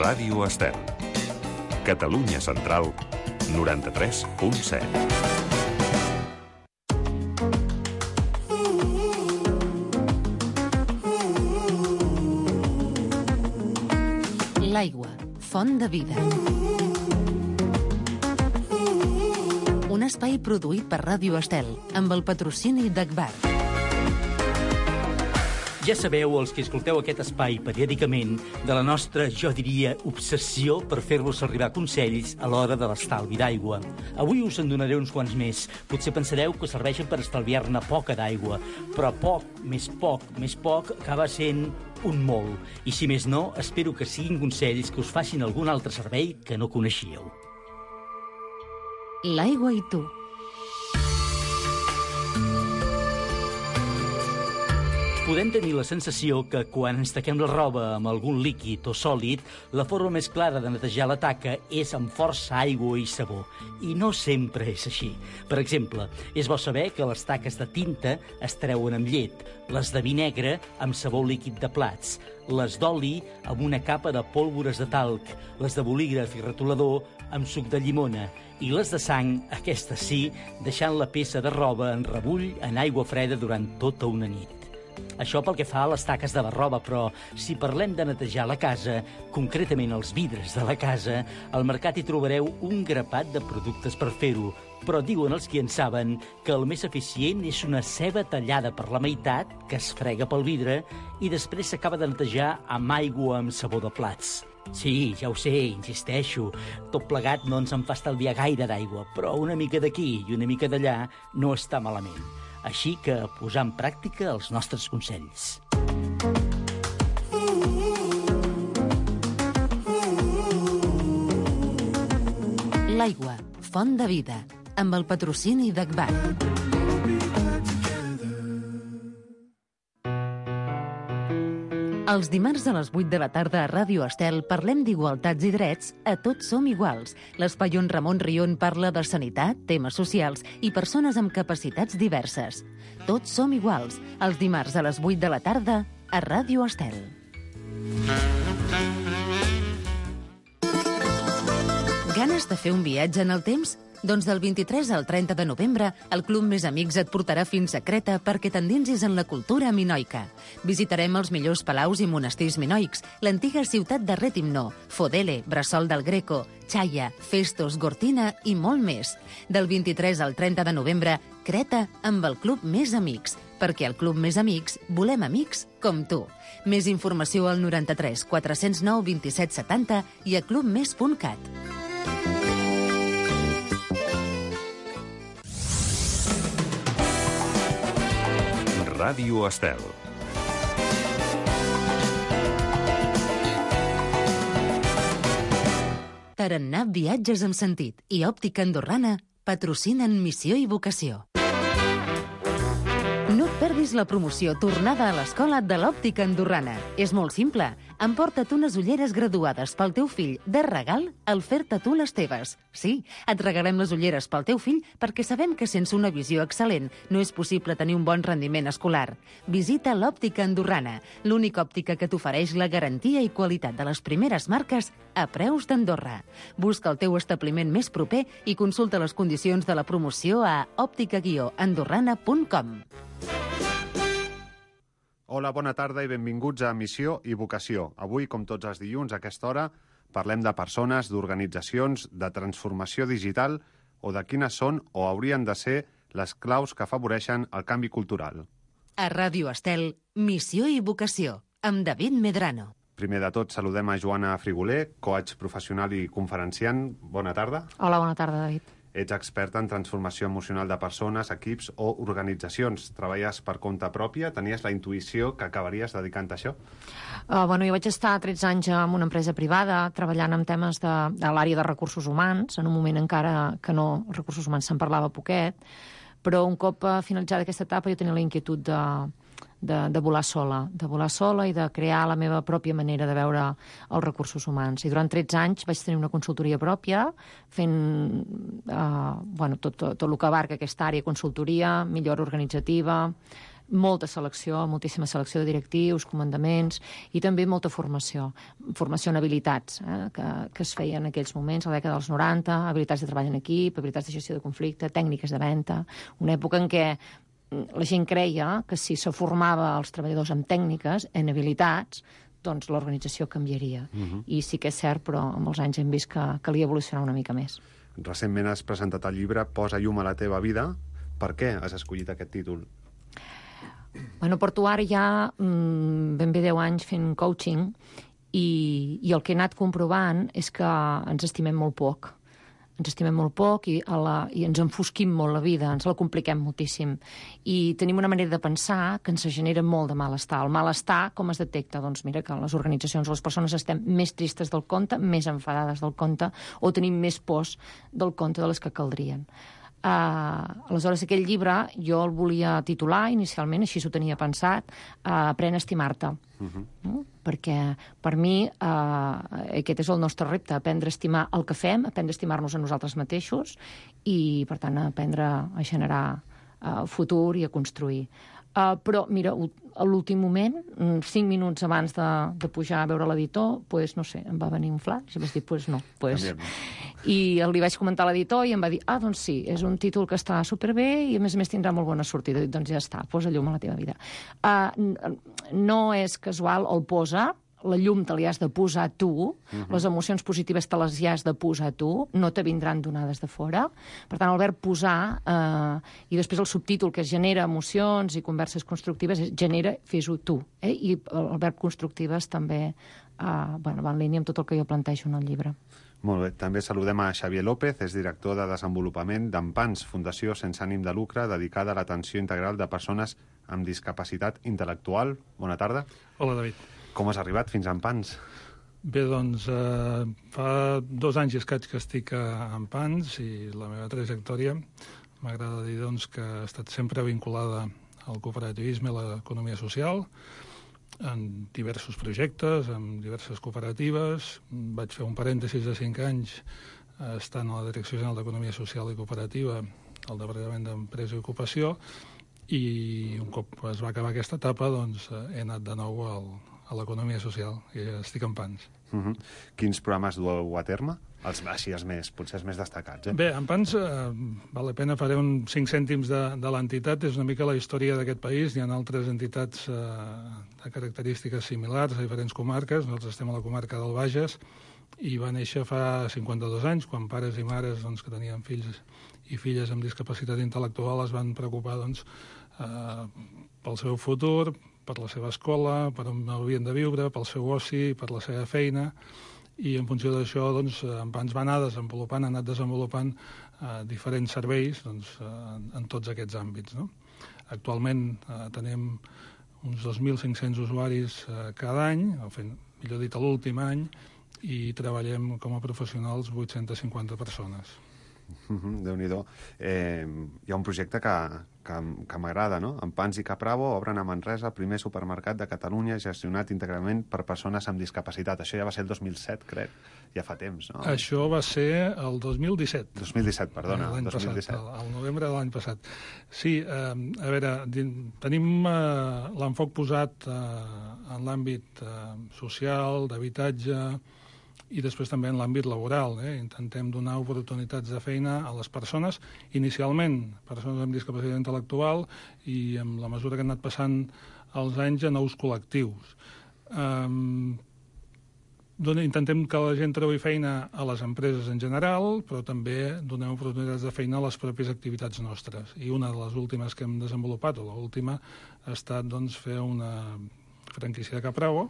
Ràdio Estel. Catalunya Central, 93.7. L'aigua, font de vida. Un espai produït per Ràdio Estel, amb el patrocini d'Agbar. Ja sabeu, els que escolteu aquest espai periòdicament, de la nostra, jo diria, obsessió per fer-vos arribar consells a l'hora de l'estalvi d'aigua. Avui us en donaré uns quants més. Potser pensareu que serveixen per estalviar-ne poca d'aigua, però poc, més poc, acaba sent un molt. I si més no, espero que siguin consells que us facin algun altre servei que no coneixíeu. L'aigua i tu. Podem tenir la sensació que quan ens taquem la roba amb algun líquid o sòlid, la forma més clara de netejar la taca és amb força aigua i sabó. I no sempre és així. Per exemple, és bo saber que les taques de tinta es treuen amb llet, les de vi negre amb sabó líquid de plats, les d'oli amb una capa de pólvores de talc, les de bolígraf i retolador amb suc de llimona, i les de sang, aquestes sí, deixant la peça de roba en rebull en aigua freda durant tota una nit. Això pel que fa a les taques de la roba, però si parlem de netejar la casa, concretament els vidres de la casa, al mercat hi trobareu un grapat de productes per fer-ho, però diuen els qui en saben que el més eficient és una ceba tallada per la meitat que es frega pel vidre i després s'acaba de netejar amb aigua amb sabó de plats. Sí, ja ho sé, insisteixo, tot plegat no ens en fa estalviar gaire d'aigua, però una mica d'aquí i una mica d'allà no està malament. Així que posar en pràctica els nostres consells. L'aigua, font de vida, amb el patrocini d'Agbar. Els dimarts a les 8 de la tarda a Ràdio Estel parlem d'igualtats i drets a Tots som iguals. L'espai on Ramon Rion parla de sanitat, temes socials i persones amb capacitats diverses. Tots som iguals, els dimarts a les 8 de la tarda a Ràdio Estel. Ganes de fer un viatge en el temps? Doncs del 23 al 30 de novembre, el Club Més Amics et portarà fins a Creta perquè t'endinsis en la cultura minoica. Visitarem els millors palaus i monestirs minoics, l'antiga ciutat de Retimno, Fodele, Bressol del Greco, Chaia, Festos, Gortina i molt més. Del 23 al 30 de novembre, Creta amb el Club Més Amics, perquè al Club Més Amics volem amics com tu. Més informació al 93 409 27 70 i a clubmes.cat. Ràdio Estel. Tarannà Viatges amb Sentit i Òptica Andorrana patrocinen Missió i Vocació. No et perdis la promoció Tornada a l'Escola de l'Òptica Andorrana. És molt simple. Emporta't unes ulleres graduades pel teu fill de regal al fer-te tu les teves. Sí, et regalem les ulleres pel teu fill perquè sabem que sense una visió excel·lent no és possible tenir un bon rendiment escolar. Visita l'Òptica Andorrana, l'única òptica que t'ofereix la garantia i qualitat de les primeres marques a preus d'Andorra. Busca el teu establiment més proper i consulta les condicions de la promoció a òptica-andorrana.com. Hola, bona tarda i benvinguts a Missió i Vocació. Avui, com tots els dilluns, a aquesta hora, parlem de persones, d'organitzacions, de transformació digital o de quines són o haurien de ser les claus que afavoreixen el canvi cultural. A Ràdio Estel, Missió i Vocació, amb David Medrano. Primer de tot, saludem a Joana Friguler, coach professional i conferenciant. Bona tarda. Hola, bona tarda, David. Ets experta en transformació emocional de persones, equips o organitzacions. Treballes per compte pròpia? Tenies la intuïció que acabaries dedicant a això? Jo vaig estar 13 anys en una empresa privada treballant amb temes de l'àrea de recursos humans, en un moment encara que no, recursos humans se'n parlava poquet, però un cop finalitzada aquesta etapa jo tenia la inquietud de volar sola i de crear la meva pròpia manera de veure els recursos humans. I durant 13 anys vaig tenir una consultoria pròpia, fent tot el que abarca aquesta àrea, consultoria, millora organitzativa, molta selecció, moltíssima selecció de directius, comandaments, i també molta formació en habilitats que es feien en aquells moments, a la dècada dels 90, habilitats de treball en equip, habilitats de gestió de conflicte, tècniques de venda, una època en què la gent creia que si se formava els treballadors en tècniques, en habilitats, doncs l'organització canviaria. I sí que és cert, però amb els anys hem vist que calia evolucionar una mica més. Recentment has presentat el llibre Posa llum a la teva vida. Per què has escollit aquest títol? Bueno, porto ara ja ben bé 10 anys fent coaching i el que he anat comprovant és que ens estimem molt poc. Ens estimem molt poc i ens enfosquim molt la vida, ens la compliquem moltíssim. I tenim una manera de pensar que ens genera molt de malestar. El malestar, com es detecta? Doncs mira que les organitzacions o les persones estem més tristes del compte, més enfadades del compte, o tenim més pors del compte de les que caldrien. Aleshores, aquell llibre jo el volia titular inicialment, així s'ho tenia pensat, Aprèn a estimar-te. Perquè per mi aquest és el nostre repte, aprendre a estimar el que fem, aprendre a estimar-nos a nosaltres mateixos i, per tant, aprendre a generar futur i a construir. Però, mira, a l'últim moment, 5 minuts abans de pujar a veure l'editor, doncs, no sé, em va venir un flash i vaig dir, doncs no. I li vaig comentar a l'editor i em va dir, doncs sí, és un títol que està superbé i a més tindrà molt bona sortida. Doncs ja està, posa llum a la teva vida. No és casual el posa, la llum te li has de posar tu, les emocions positives te les has de posar tu, no te vindran donades de fora. Per tant, el verb posar, i després el subtítol que genera emocions i converses constructives, genera, fes-ho tu. I el verb constructives també va en línia amb tot el que jo plantejo en el llibre. Molt bé. També saludem a Xavier López, és director de desenvolupament d'Empans, fundació sense ànim de lucre dedicada a l'atenció integral de persones amb discapacitat intel·lectual. Bona tarda. Hola, David. Com has arribat fins a Empans? Bé, doncs, fa 2 anys i escaig que estic a Empans i la meva trajectòria m'agrada dir doncs, que ha estat sempre vinculada al cooperativisme i l'economia social, en diversos projectes, en diverses cooperatives. Vaig fer un parèntesis de 5 anys estant a la Direcció General d'Economia Social i Cooperativa al Departament d'Empresa i Ocupació i un cop es va acabar aquesta etapa doncs, he anat de nou a l'economia social i estic en Pans. Quins programes dueu a terme? Potser els més destacats. Bé, en Pans, val la pena, faré uns 5 cèntims de l'entitat. És una mica la història d'aquest país. Hi ha altres entitats de característiques similars a diferents comarques. Nosaltres estem a la comarca del Bages i va néixer fa 52 anys, quan pares i mares doncs, que tenien fills i filles amb discapacitat intel·lectual es van preocupar doncs, pel seu futur, per la seva escola, per on havien de viure, pel seu oci, per la seva feina, i en funció d'això doncs, ens va anar desenvolupant, ha anat desenvolupant diferents serveis doncs, en tots aquests àmbits. No? Actualment tenim uns 2.500 usuaris cada any, millor dit, l'últim any, i treballem com a professionals 850 persones. Déu-n'hi-do. Hi ha un projecte que m'agrada, no? Empans i Capravo obren a Manresa el primer supermercat de Catalunya gestionat íntegrament per persones amb discapacitat. Això ja va ser el 2007, crec. Ja fa temps, no? Això va ser el 2017. 2017, perdona. L'any 2017. passat, al novembre de l'any passat. Sí, a veure, tenim l'enfoc posat en l'àmbit social, d'habitatge, i després també en l'àmbit laboral. Intentem donar oportunitats de feina a les persones, inicialment persones amb discapacitat intel·lectual i amb la mesura que han anat passant els anys a nous col·lectius. Intentem que la gent trobi feina a les empreses en general, però també donem oportunitats de feina a les pròpies activitats nostres. I una de les últimes que hem desenvolupat, o l'última, ha estat doncs, fer una franquícia de Capravo,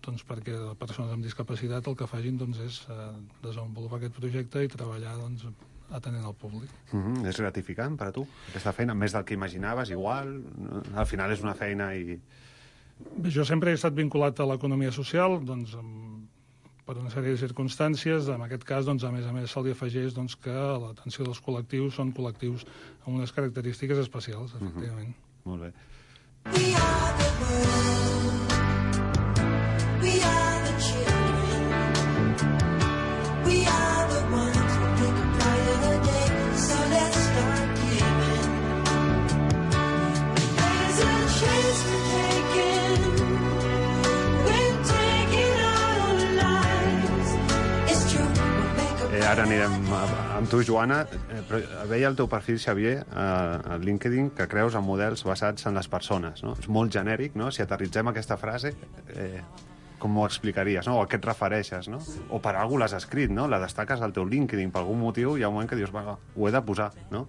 doncs, perquè les persones amb discapacitat el que facin doncs, és desenvolupar aquest projecte i treballar doncs, atenent al públic. És gratificant per a tu, aquesta feina? Més del que imaginaves, igual? Al final és una feina i... Bé, jo sempre he estat vinculat a l'economia social, doncs, per una sèrie de circumstàncies. En aquest cas, doncs, a més se li afegeix doncs, que l'atenció dels col·lectius són col·lectius amb unes característiques especials, efectivament. Molt bé. We are the world. We are the children. We are the ones who make a brighter day. So let's start giving. There's a ara anirem amb tu, Joana. Però veia el teu perfil, Xavier, a LinkedIn, que creus en models basats en les persones, no? És molt genèric, no? Si aterritzem aquesta frase, com ho explicaries, no? O a què et refereixes, no? O per algú l'has escrit, no? La destaques al teu LinkedIn, per algun motiu hi ha un moment que dius, va, ho he de posar, no?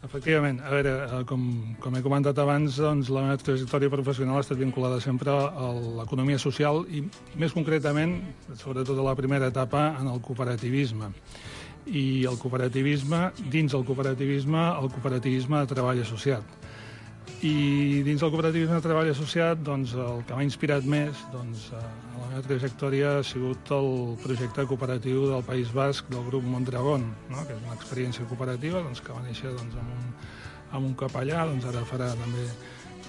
Efectivament. A veure, com he comentat abans, doncs, la meva trajectòria professional ha estat vinculada sempre a l'economia social i, més concretament, sobretot a la primera etapa, en el cooperativisme. I el cooperativisme, dins el cooperativisme de treball associat. I dins del cooperativisme de treball associat, doncs, el que m'ha inspirat més doncs, a la meva trajectòria ha sigut el projecte cooperatiu del País Basc del grup Mondragón, no? Que és una experiència cooperativa doncs, que va néixer doncs, amb un capellà, doncs, ara farà també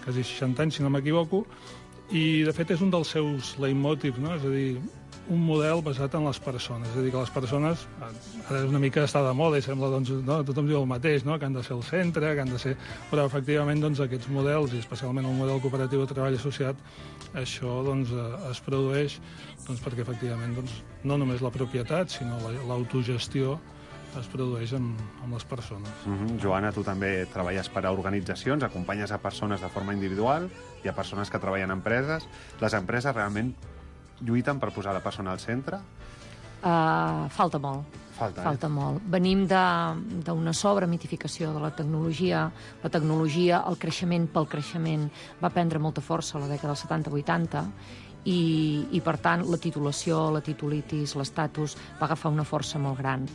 quasi 60 anys, si no m'equivoco, i de fet és un dels seus leitmotivs, no? És a dir, un model basat en les persones. És a dir, que les persones, ara és una mica està de moda i sembla, doncs, no? Tothom diu el mateix, no? Que han de ser el centre, que han de ser... Però, efectivament, doncs, aquests models, i especialment el model cooperatiu de treball associat, això doncs, es produeix doncs, perquè, efectivament, doncs, no només la propietat, sinó l'autogestió es produeix amb les persones. Joana, tu també treballes per a organitzacions, acompanyes a persones de forma individual i a persones que treballen en empreses. Les empreses realment lluiten per posar la persona al centre? Falta molt. Falta molt. Venim d'una sobremitificació de la tecnologia. La tecnologia, el creixement pel creixement, va prendre molta força a la dècada dels 70-80 i, per tant, la titulació, la titulitis, l'estatus va agafar una força molt gran.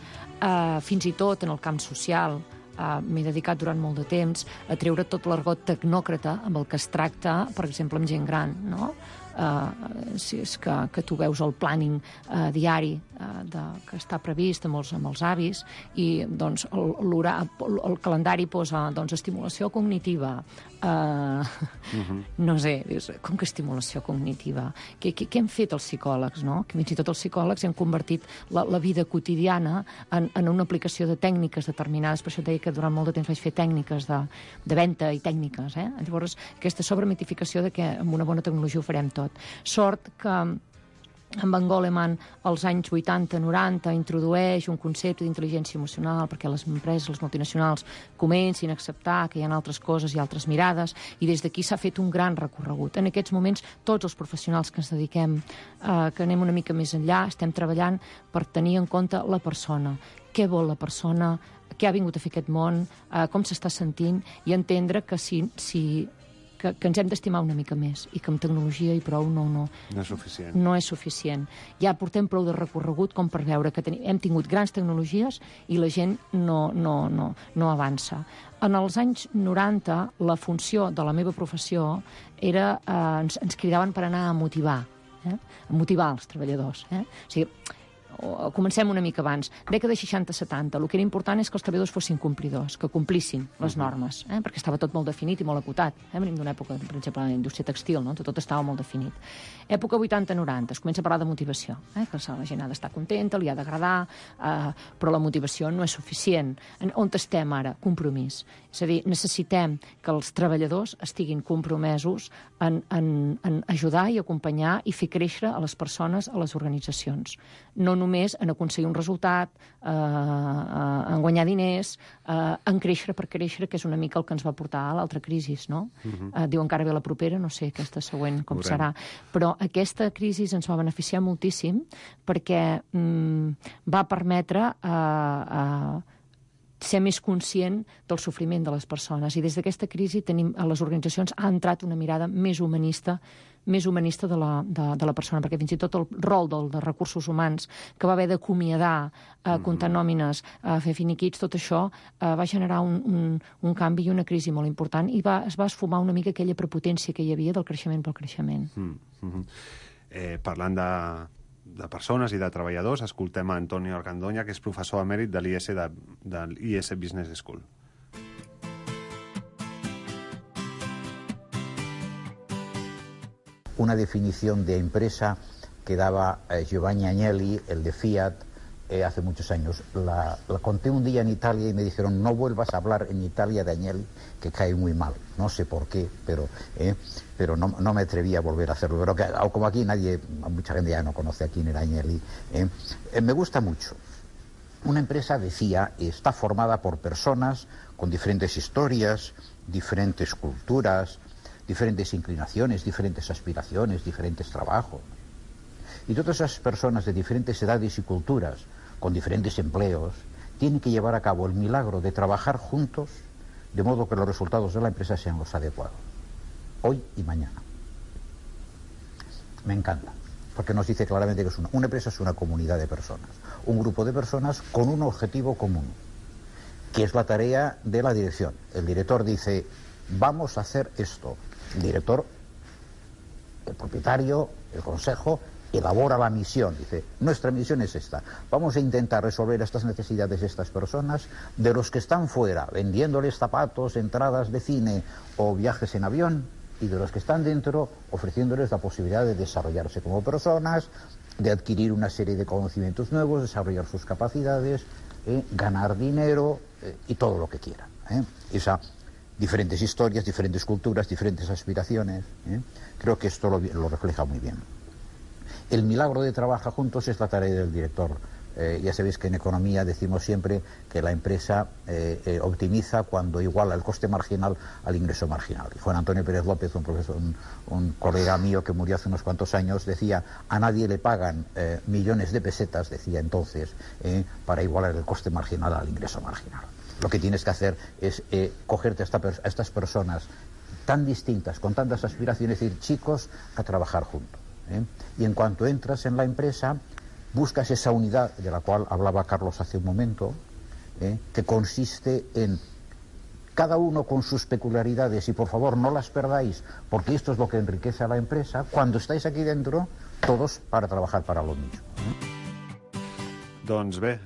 Fins i tot en el camp social, m'he dedicat durant molt de temps a treure tot l'argot tecnòcrata amb el que es tracta, per exemple, amb gent gran, no? Si és que tu veus el planning diari que està previst amb els avis i doncs, el calendari posa doncs, estimulació cognitiva. No sé, com que estimulació cognitiva? Què hem fet els psicòlegs? No? Que fins i tot els psicòlegs hem convertit la vida quotidiana en una aplicació de tècniques determinades. Per això et deia que durant molt de temps vaig fer tècniques de venda i tècniques. Llavors, aquesta sobremitificació de que amb una bona tecnologia ho farem tot. Sort que en Van Goleman als anys 80-90 introdueix un concepte d'intel·ligència emocional perquè les empreses, les multinacionals, comencin a acceptar que hi ha altres coses i altres mirades, i des d'aquí s'ha fet un gran recorregut. En aquests moments, tots els professionals que ens dediquem, que anem una mica més enllà, estem treballant per tenir en compte la persona. Què vol la persona? Què ha vingut a fer aquest món? Com s'està sentint? I entendre que que ens hem d'estimar una mica més i que amb tecnologia i prou no és suficient. No és suficient. Ja portem prou de recorregut com per veure que hem tingut grans tecnologies i la gent no avança. En els anys 90, la funció de la meva professió era... ens cridaven per anar a motivar els treballadors. O sigui, comencem una mica abans. Dècada 60-70, el que era important és que els treballadors fossin complidors, que complissin les normes, perquè estava tot molt definit i molt acotat. Venim d'una època, per exemple, la indústria textil, no? Tot estava molt definit. Època 80-90, es comença a parlar de motivació, que la gent ha d'estar contenta, li ha d'agradar, però la motivació no és suficient. On estem ara? Compromís. És a dir, necessitem que els treballadors estiguin compromesos en ajudar i acompanyar i fer créixer a les persones, a les organitzacions. No només en aconseguir un resultat, en guanyar diners, en créixer per créixer, que és una mica el que ens va portar a l'altra crisi, no? Diuen que ara ve la propera, no sé aquesta següent com serà. Però aquesta crisi ens va beneficiar moltíssim perquè va permetre ser més conscient del sofriment de les persones. I des d'aquesta crisi a les organitzacions ha entrat una mirada més humanista de la persona, perquè fins i tot el rol de recursos humans, que va haver d'acomiadar, comptar nòmines, fer finiquits, tot això va generar un canvi i una crisi molt important i es va esfumar una mica aquella prepotència que hi havia del creixement pel creixement. Parlant de persones i de treballadors, escoltem a Antonio Argandoña, que és professor emèrit de l'IS Business School. Una definición de empresa que daba Giovanni Agnelli, el de Fiat, hace muchos años. La conté un día en Italia y me dijeron: no vuelvas a hablar en Italia de Agnelli, que cae muy mal. No sé por qué, pero no me atreví a volver a hacerlo. Pero como aquí mucha gente ya no conoce a quién era Agnelli. Me gusta mucho Una empresa, decía, está formada por personas con diferentes historias, diferentes culturas, diferentes inclinaciones, diferentes aspiraciones, diferentes trabajos. Y todas esas personas de diferentes edades y culturas, con diferentes empleos, tienen que llevar a cabo el milagro de trabajar juntos, de modo que los resultados de la empresa sean los adecuados, hoy y mañana. Me encanta, porque nos dice claramente que una empresa es una comunidad de personas, un grupo de personas con un objetivo común, que es la tarea de la dirección. El director dice, vamos a hacer esto. El director, el propietario, el consejo, elabora la misión. Dice, nuestra misión es esta. Vamos a intentar resolver estas necesidades de estas personas, de los que están fuera, vendiéndoles zapatos, entradas de cine o viajes en avión, y de los que están dentro, ofreciéndoles la posibilidad de desarrollarse como personas, de adquirir una serie de conocimientos nuevos, desarrollar sus capacidades, ganar dinero y todo lo que quieran. Diferentes historias, diferentes culturas, diferentes aspiraciones. Creo que esto lo refleja muy bien. El milagro de trabajar juntos es la tarea del director. Ya sabéis que en economía decimos siempre que la empresa optimiza cuando iguala el coste marginal al ingreso marginal. Y Juan Antonio Pérez López, un profesor, un colega mío que murió hace unos cuantos años, decía, a nadie le pagan millones de pesetas, decía entonces, para igualar el coste marginal al ingreso marginal. Lo que tienes que hacer es cogerte a estas personas tan distintas, con tantas aspiraciones, y decir, chicos, a trabajar juntos. Y en cuanto entras en la empresa, buscas esa unidad de la cual hablaba Carlos hace un momento, que consiste en cada uno con sus peculiaridades, y por favor no las perdáis, porque esto es lo que enriquece a la empresa. Cuando estáis aquí dentro, todos para trabajar para lo mismo. Doncs bé,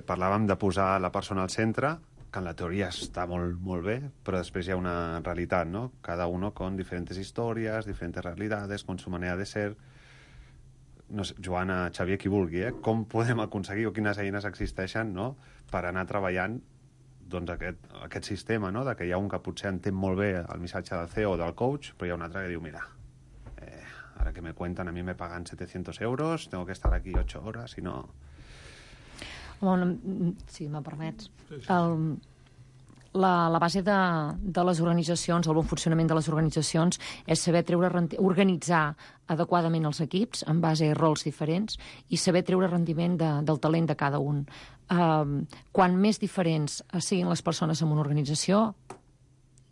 parlàvem de posar la persona al centre, que en la teoria està molt, molt bé, però després hi ha una realitat, ¿no? Cada uno con diferentes historias, diferentes realidades, con su manera de ser. No sé, Joana, Xavier, qui vulgui, com podem aconseguir, o quines eines existeixen, no?, per anar treballant doncs, aquest sistema, no?, de que hi ha un que potser entén molt bé el missatge del CEO o del coach, però hi ha un altre que diu, mira, ara que me cuentan, a mi me pagan 700 euros, tengo que estar aquí 8 horas, i no... Bueno, si me permets. La base de les organitzacions, el bon funcionament de les organitzacions, és saber organitzar adequadament els equips en base a rols diferents i saber treure rendiment del talent de cada un. Quan més diferents siguin les persones en una organització,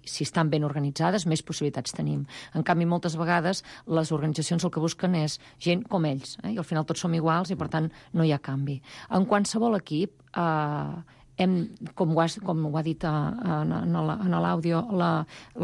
si estan ben organitzades, més possibilitats tenim. En canvi, moltes vegades, les organitzacions el que busquen és gent com ells, i al final tots som iguals i, per tant, no hi ha canvi. En qualsevol equip, com ho ha dit en l'àudio,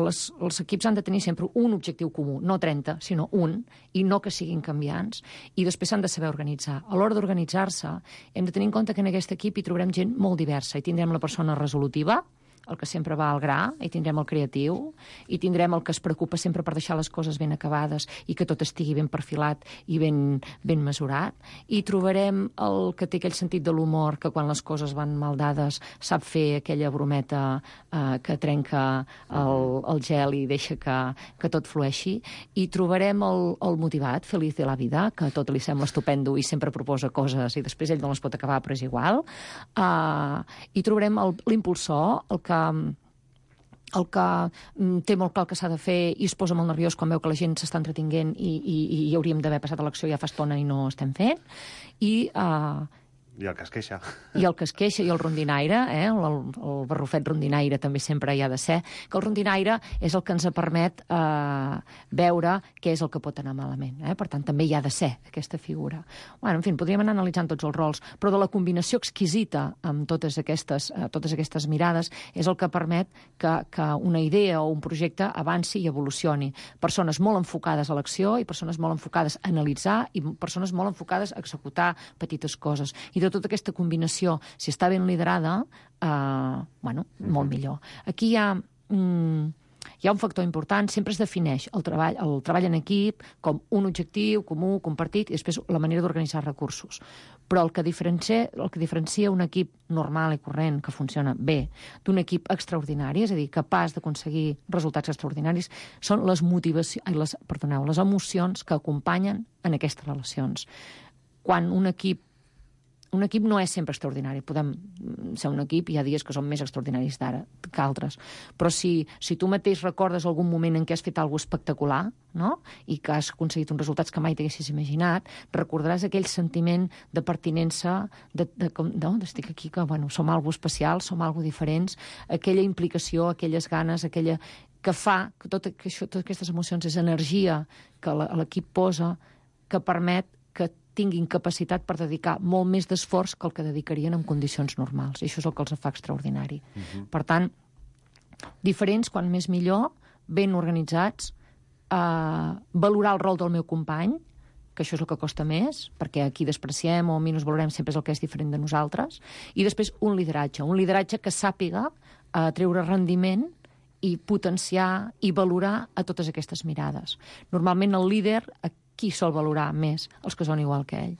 els equips han de tenir sempre un objectiu comú, no 30, sinó un, i no que siguin canviants, i després s'han de saber organitzar. A l'hora d'organitzar-se, hem de tenir en compte que en aquest equip hi trobarem gent molt diversa, i tindrem la persona resolutiva, el que sempre va al gra, i tindrem el creatiu, i tindrem el que es preocupa sempre per deixar les coses ben acabades i que tot estigui ben perfilat i ben mesurat, i trobarem el que té aquell sentit de l'humor que quan les coses van mal dades sap fer aquella brometa que trenca el gel i deixa que tot flueixi, i trobarem el motivat, feliç de la vida, que a tot li sembla estupendo i sempre proposa coses i després ell no les pot acabar, però és igual, i trobarem l'impulsor, el que té molt clar el que s'ha de fer i es posa molt nerviós quan veu que la gent s'està entretinguent i hauríem d'haver passat a l'acció ja fa estona i no estem fent, i el que es queixa. I el que es queixa, i el rondinaire, el barrufet rondinaire també sempre hi ha de ser, que el rondinaire és el que ens permet veure què és el que pot anar malament. Per tant, també hi ha de ser aquesta figura. En fi, podríem anar analitzant tots els rols, però de la combinació exquisita amb totes aquestes mirades és el que permet que una idea o un projecte avanci i evolucioni. Persones molt enfocades a l'acció i persones molt enfocades a analitzar i persones molt enfocades a executar petites coses. I de tota aquesta combinació, si està ben liderada, molt millor. Aquí hi ha un factor important, sempre es defineix el treball en equip com un objectiu comú, compartit, i després la manera d'organitzar recursos. Però el que diferencia un equip normal i corrent, que funciona bé, d'un equip extraordinari, és a dir, capaç d'aconseguir resultats extraordinaris, són les emocions que acompanyen en aquestes relacions. Quan un equip un equip no és sempre extraordinari. Podem ser un equip, hi ha dies que són més extraordinaris d'ara que altres. Però si tu mateix recordes algun moment en què has fet alguna cosa espectacular, no? I que has aconseguit uns resultats que mai t'haguessis imaginat, recordaràs aquell sentiment de pertinença, estic aquí, que som algo especial, som algo diferents, aquella implicació, aquelles ganes, que fa que totes aquestes emocions és energia que l'equip posa, que permet que tinguin capacitat per dedicar molt més d'esforç que el que dedicarien en condicions normals. I això és el que els fa extraordinari. Per tant, diferents, quan més millor, ben organitzats, valorar el rol del meu company, que això és el que costa més, perquè aquí despreciem o minusvalorem sempre és el que és diferent de nosaltres, i després un lideratge que sàpiga treure rendiment i potenciar i valorar a totes aquestes mirades. Normalment el líder, qui sol valorar més? Els que són igual que ell.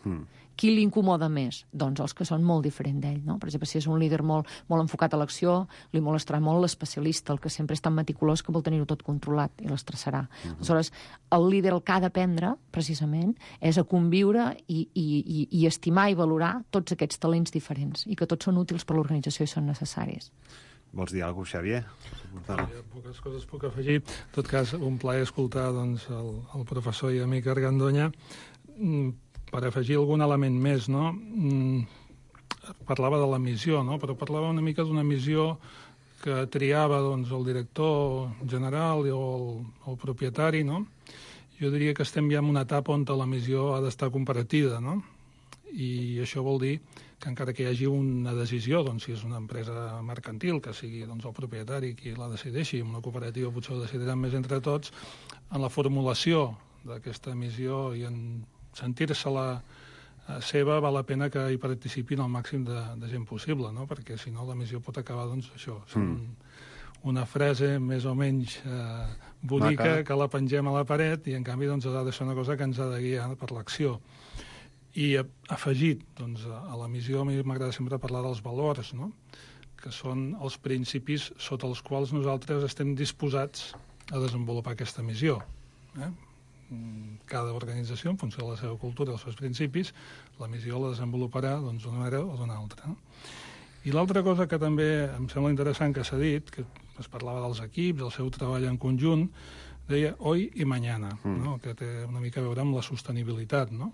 Qui l'incomoda més? Doncs els que són molt diferents d'ell, no? Per exemple, si és un líder molt enfocat a l'acció, li molestarà molt l'especialista, el que sempre és tan meticulós que vol tenir-ho tot controlat i l'estressarà. Aleshores, el líder el que ha d'aprendre, precisament, és a conviure i estimar i valorar tots aquests talents diferents i que tots són útils per l'organització i són necessaris. Vols dir alguna cosa, Xavier? Poques coses puc afegir. En tot cas, un plaer escoltar el professor i amic Argandoña. Per afegir algun element més, no? Parlava de la missió, no? Però parlava una mica d'una missió que triava el director general o el propietari, no? Jo diria que estem ja en una etapa on la missió ha d'estar compartida, no? I això vol dir que encara que hi hagi una decisió, si és una empresa mercantil, que sigui el propietari qui la decideixi, en una cooperativa potser ho decidiran més entre tots, en la formulació d'aquesta missió i en sentir-se-la seva val la pena que hi participin el màxim de gent possible, no? Perquè si no la missió pot acabar, això, una frase més o menys bonica que la pengem a la paret i en canvi ha de ser una cosa que ens ha de guiar per l'acció. I afegit a la missió, a mi m'agrada sempre parlar dels valors, no? Que són els principis sota els quals nosaltres estem disposats a desenvolupar aquesta missió. Cada organització, en funció de la seva cultura, dels seus principis, la missió la desenvoluparà d'una manera o d'una altra. I l'altra cosa que també em sembla interessant que s'ha dit, que es parlava dels equips, del seu treball en conjunt, deia hoy i mañana, no? Que té una mica a veure amb la sostenibilitat, no?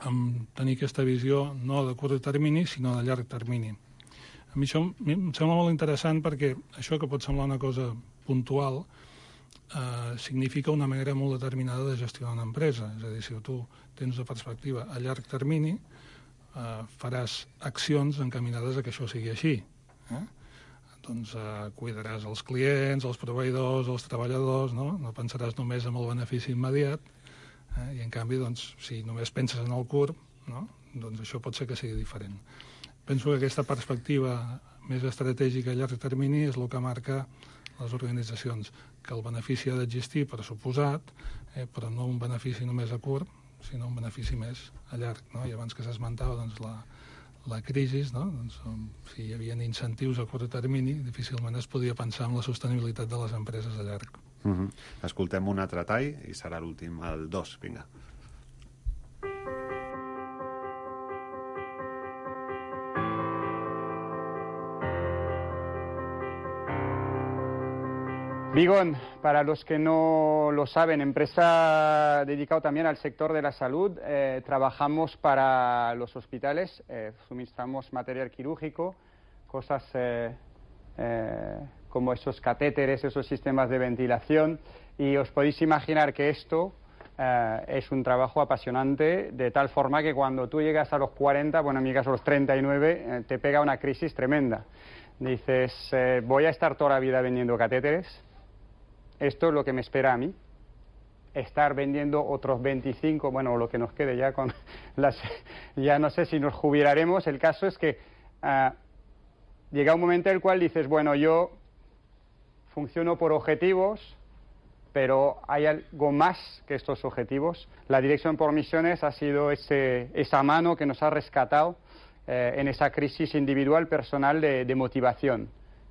Amb tenir aquesta visió no de curt termini, sinó de llarg termini. A mi això em sembla molt interessant perquè això que pot semblar una cosa puntual significa una manera molt determinada de gestionar una empresa. És a dir, si tu tens una perspectiva a llarg termini, faràs accions encaminades a que això sigui així. Cuidaràs els clients, els proveïdors, els treballadors, no pensaràs només en el benefici immediat, i en canvi, si només penses en el curt, doncs això pot ser que sigui diferent. Penso que aquesta perspectiva més estratègica a llarg termini és el que marca les organitzacions, que el benefici ha d'existir per suposat, però no un benefici només a curt, sinó un benefici més a llarg. I abans que s'esmentava la crisi, si hi havia incentius a curt termini, difícilment es podia pensar en la sostenibilitat de les empreses a llarg. Escoltem un altre tall i serà l'últim, el 2, vinga. Vigón, para los que no lo saben, empresa dedicada también al sector de la salud. Trabajamos para los hospitales, suministramos material quirúrgico, cosas como esos catéteres, esos sistemas de ventilación, y os podéis imaginar que esto es un trabajo apasionante, de tal forma que cuando tú llegas a los 40, bueno, en mi caso a los 39, te pega una crisis tremenda. Dices, voy a estar toda la vida vendiendo catéteres. Esto es lo que me espera a mí, estar vendiendo otros 25, bueno, lo que nos quede ya con las... Ya no sé si nos jubilaremos. El caso es que llega un momento en el cual dices, bueno, yo funciono por objetivos, pero hay algo más que estos objetivos. La Dirección por Misiones ha sido esa mano que nos ha rescatado en esa crisis individual, personal, de motivación,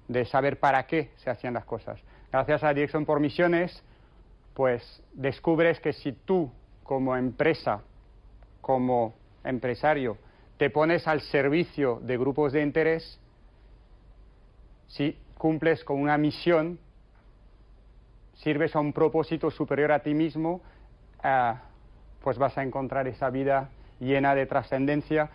de saber para qué se hacían las cosas. Gracias a la Dirección por Misiones, pues descubres que si tú, como empresa, como empresario, te pones al servicio de grupos de interés, si cumples con una misión, sirves a un propósito superior a ti mismo, pues vas a encontrar esa vida llena de trascendencia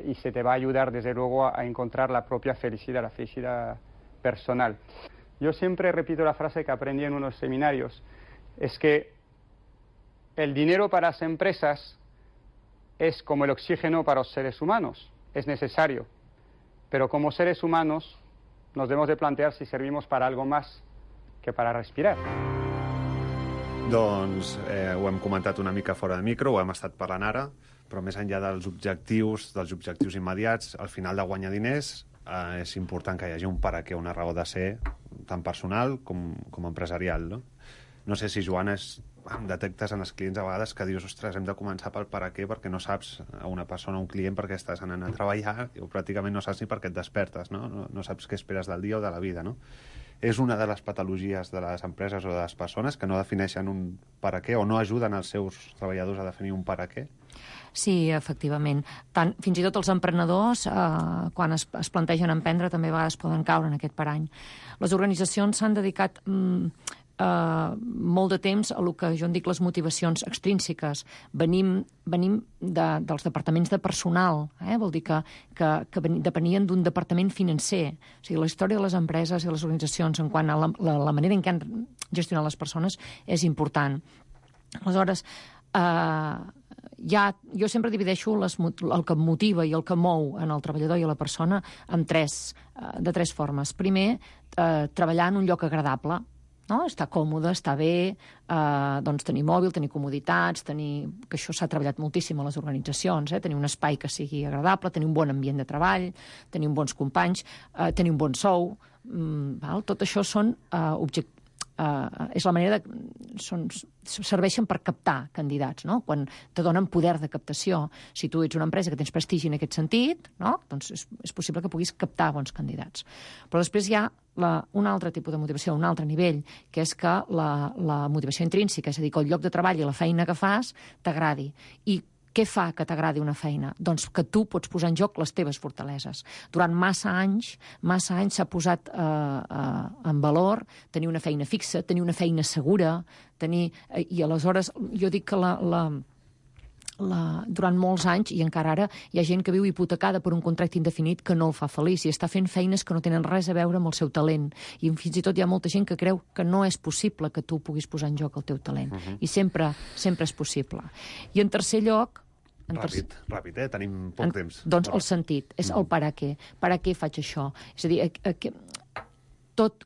y se te va a ayudar desde luego a encontrar la propia felicidad, la felicidad personal. Yo siempre repito la frase que aprendí en unos seminarios, es que el dinero para las empresas es como el oxígeno para los seres humanos, es necesario, pero como seres humanos nos debemos de plantear si servimos para algo más que para respirar. Doncs ho hem comentat una mica fora de micro, ho hem estat parlant ara, però més enllà dels objectius immediats, al final de guanyar diners és important que hi hagi un per a què, una raó de ser, tant personal com empresarial, no? No sé si, Joana, detectes en els clients a vegades que dius, ostres, hem de començar pel per a què, perquè no saps a una persona, a un client, perquè estàs anant a treballar o pràcticament no saps ni per què et despertes, no? No saps què esperes del dia o de la vida, no? És una de les patologies de les empreses o de les persones que no defineixen un per a què o no ajuden els seus treballadors a definir un per a què? Sí, efectivament. Fins i tot els emprenedors, quan es plantegen emprendre, també a vegades poden caure en aquest parany. Les organitzacions s'han dedicat molt de temps a el que jo en dic les motivacions extrínseques. Venim dels departaments de personal, vol dir que depenien d'un departament financer. O sigui, la història de les empreses i les organitzacions en quant a la manera en què han gestionat les persones és important. Aleshores, jo sempre divideixo el que motiva i el que mou en el treballador i a la persona de tres formes. Primer, treballar en un lloc agradable, no? Estar còmode, estar bé, doncs tenir mòbil, tenir comoditats, que això s'ha treballat moltíssim a les organitzacions, tenir un espai que sigui agradable, tenir un bon ambient de treball, tenir bons companys, tenir un bon sou. Tot això són objectius. És la manera serveixen per captar candidats, no? Quan te donen poder de captació. Si tu ets una empresa que tens prestigi en aquest sentit, no? Doncs és possible que puguis captar bons candidats. Però després hi ha un altre tipus de motivació, un altre nivell, que és que la motivació intrínseca, és a dir, que el lloc de treball i la feina que fas t'agradi. I què fa que t'agradi una feina? Doncs que tu pots posar en joc les teves fortaleses. Durant massa anys s'ha posat en valor tenir una feina fixa, tenir una feina segura, i aleshores jo dic que durant molts anys, i encara ara, hi ha gent que viu hipotecada per un contracte indefinit que no el fa feliç i està fent feines que no tenen res a veure amb el seu talent. I fins i tot hi ha molta gent que creu que no és possible que tu puguis posar en joc el teu talent. I sempre és possible. I en tercer lloc, Ràpid, tenim poc temps. Doncs el sentit, és el per a què. Per a què faig això? És a dir,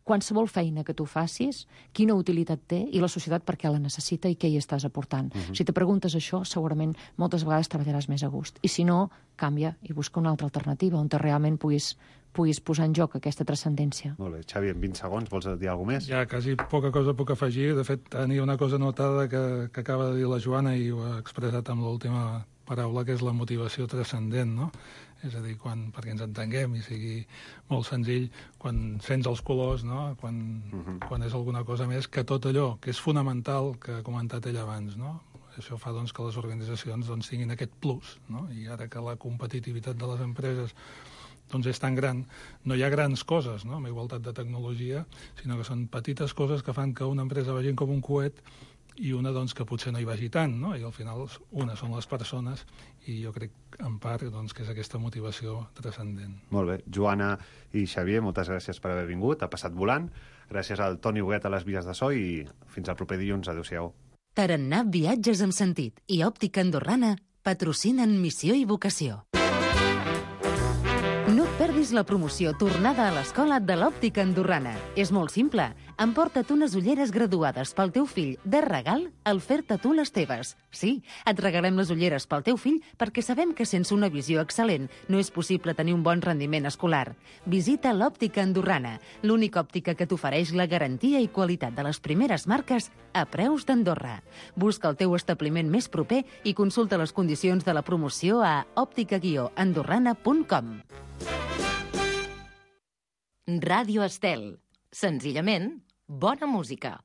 qualsevol feina que tu facis, quina utilitat té i la societat per què la necessita i què hi estàs aportant. Si te preguntes això, segurament moltes vegades treballaràs més a gust. I si no, canvia i busca una altra alternativa on realment puguis posar en joc aquesta transcendència. Molt bé. Xavi, en 20 segons, vols dir alguna més? Ja, quasi poca cosa puc afegir. De fet, tenia una cosa notada que acaba de dir la Joana i ho ha expressat amb l'última paraula, que és la motivació transcendent, no? És a dir, perquè ens entenguem i sigui molt senzill, quan sents els colors, no? Quan és alguna cosa més, que tot allò que és fonamental, que ha comentat ell abans, no? Això fa doncs, que les organitzacions tinguin aquest plus, no? I ara que la competitivitat de les empreses doncs és tan gran, no hi ha grans coses, no? Amb igualtat de tecnologia, sinó que són petites coses que fan que una empresa vagi com un coet i una doncs, que potser no hi vagi tant, no? I al final una són les persones i jo crec en part doncs, que és aquesta motivació transcendent. Molt bé. Joana i Xavier, moltes gràcies per haver vingut, ha passat volant. Gràcies al Toni Huguet a les vies de so i fins al proper dilluns. Adéu-siau. Tarannà Viatges amb Sentit i Òptica Andorrana patrocinen Missió i Vocació. No et perdis la promoció Tornada a l'Escola de l'Òptica Andorrana. És molt simple. Emporta't unes ulleres graduades pel teu fill de regal al fer-te tu les teves. Sí, et regalem les ulleres pel teu fill perquè sabem que sense una visió excel·lent no és possible tenir un bon rendiment escolar. Visita l'Òptica Andorrana, l'única òptica que t'ofereix la garantia i qualitat de les primeres marques a preus d'Andorra. Busca el teu establiment més proper i consulta les condicions de la promoció a òptica-andorrana.com. Ràdio Estel. Senzillament, bona música.